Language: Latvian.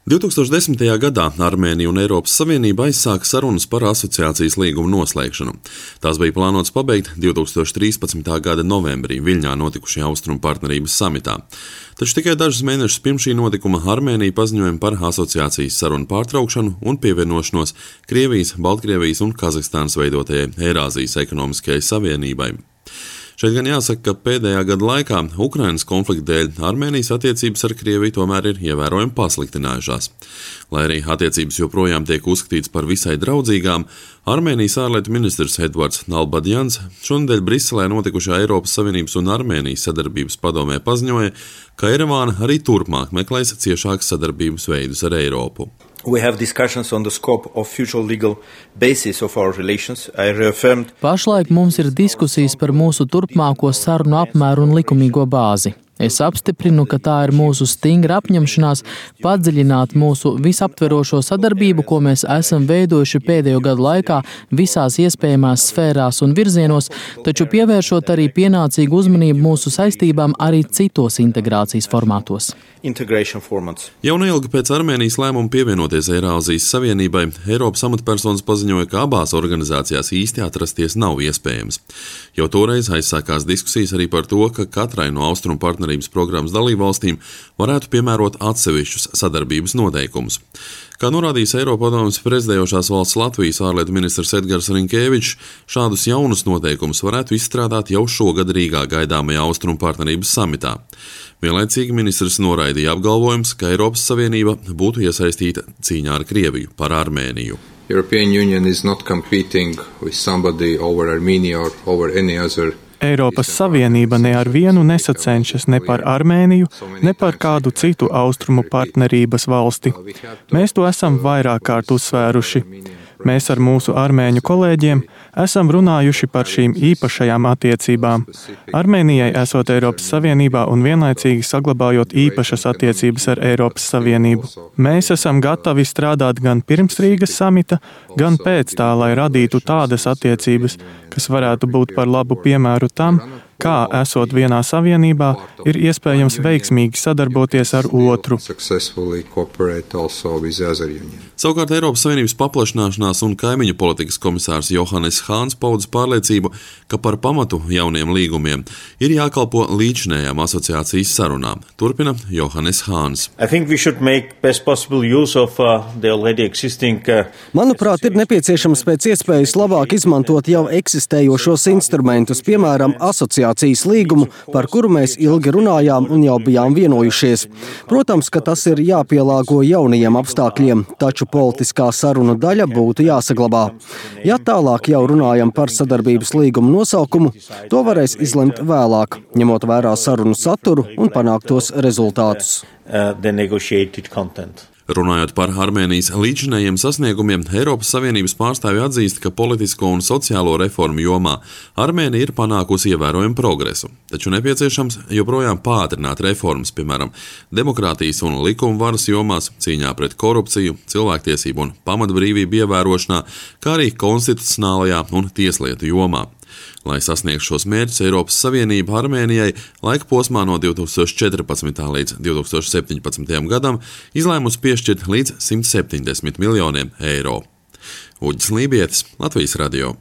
2010. gadā Armēnija un Eiropas Savienība aizsāka sarunas par asociācijas līgumu noslēgšanu. Tās bija plānotas pabeigt 2013. gada novembrī Viļņā notikušajā Austrumu partnerības samitā. Taču tikai dažus mēnešus pirms šī notikuma Armēnija paziņoja par asociācijas sarunu pārtraukšanu un pievienošanos Krievijas, Baltkrievijas un Kazahstānas veidotajai Eirāzijas ekonomiskajai savienībai. Šeit gan jāsaka, ka pēdējā gada laikā Ukrainas konflikta dēļ Armēnijas attiecības ar Krieviju tomēr ir ievērojami pasliktinājušās. Lai arī attiecības joprojām tiek uzskatītas par visai draudzīgām, Armēnijas ārlietu ministrs Edvards Nalbadjans šonedēļ Briselē notikušajā Eiropas Savienības un Armēnijas sadarbības padomē paziņoja, ka Erevāna arī turpmāk meklēs ciešākas sadarbības veidus ar Eiropu. We have discussions on the scope of future legal basis of our relations. I reaffirmed. Pašlaik mums ir diskusijas par mūsu turpmāko sarunu apmēru un likumīgo bāzi. Es apstiprinu, ka tā ir mūsu stingra apņemšanās padziļināt mūsu visaptverošo sadarbību, ko mēs esam veidojuši pēdējo gadu laikā visās iespējamās sfērās un virzienos, taču pievēršot arī pienācīgu uzmanību mūsu saistībām arī citos integrācijas formātos. Jau neilgi pēc Armēnijas lēmuma pievienoties Eirāzijas Savienībai, Eiropas amatpersonas paziņoja, ka abās organizācijās īsti atrasties nav iespējams. Jau toreiz aizsākās diskusijas arī par to, ka katrai no Austrumu partnerības programmas dalībvalstīm varētu piemērot atsevišķus sadarbības noteikumus. Kā norādījis Eiropadomes prezidējošās valsts Latvijas ārlietu ministrs Edgars Rinkēvičs, šādus jaunus noteikumus varētu izstrādāt jau šogad Rīgā gaidāmajā Austrumu partnerības samitā. Vienlaicīgi ministrs noraidīja apgalvojums, ka Eiropas Savienība būtu iesaistīta cīņā ar Krieviju par Armēniju. European Union is not competing with somebody over Armenia or over any other. Eiropas Savienība ne ar vienu nesacenšas ne par Armēniju, ne par kādu citu austrumu partnerības valsti. Mēs to esam vairāk kārt uzsvēruši. Mēs ar mūsu armēņu kolēģiem esam runājuši par šīm īpašajām attiecībām. Armēnijai esot Eiropas Savienībā un vienlaicīgi saglabājot īpašas attiecības ar Eiropas Savienību. Mēs esam gatavi strādāt gan pirms Rīgas samita, gan pēc tā, lai radītu tādas attiecības, kas varētu būt par labu piemēru tam, kā, esot vienā savienībā, ir iespējams veiksmīgi sadarboties ar otru. Savukārt Eiropas Savienības paplašināšanās un kaimiņu politikas komisārs Johannes Hāns pauda pārliecību, ka par pamatu jauniem līgumiem ir jākalpo līdzinējām asociācijas sarunām. Turpina Johannes Hāns. Manuprāt, ir nepieciešams pēc iespējas labāk izmantot jau eksistējošos instrumentus, piemēram, asociācijas līgumu, par kuru mēs ilgi runājām un jau bijām vienojušies. Protams, ka tas ir jāpielāgo jaunajiem apstākļiem, taču politiskā sarunu daļa būtu jāsaglabā. Ja tālāk jau runājam par sadarbības līgumu nosaukumu, to varēs izlemt vēlāk, ņemot vērā sarunu saturu un panāktos rezultātus. Runājot par Armēnijas līdzinējiem sasniegumiem, Eiropas Savienības pārstāvji atzīst, ka politisko un sociālo reformu jomā Armēnija ir panākusi ievērojumu progresu, taču nepieciešams joprojām pātrināt reformas, piemēram, demokrātijas un likuma varas jomās, cīņā pret korupciju, cilvēktiesību un pamatbrīvību ievērošanā, kā arī konstitucionālajā un tieslietu jomā. Lai sasniegtu šos mērķus, Eiropas Savienība Armēnijai laika posmā no 2014. līdz 2017. gadam izlēmusi piešķirt līdz 170 miljoniem eiro. Uģis Lībietis, Latvijas radio.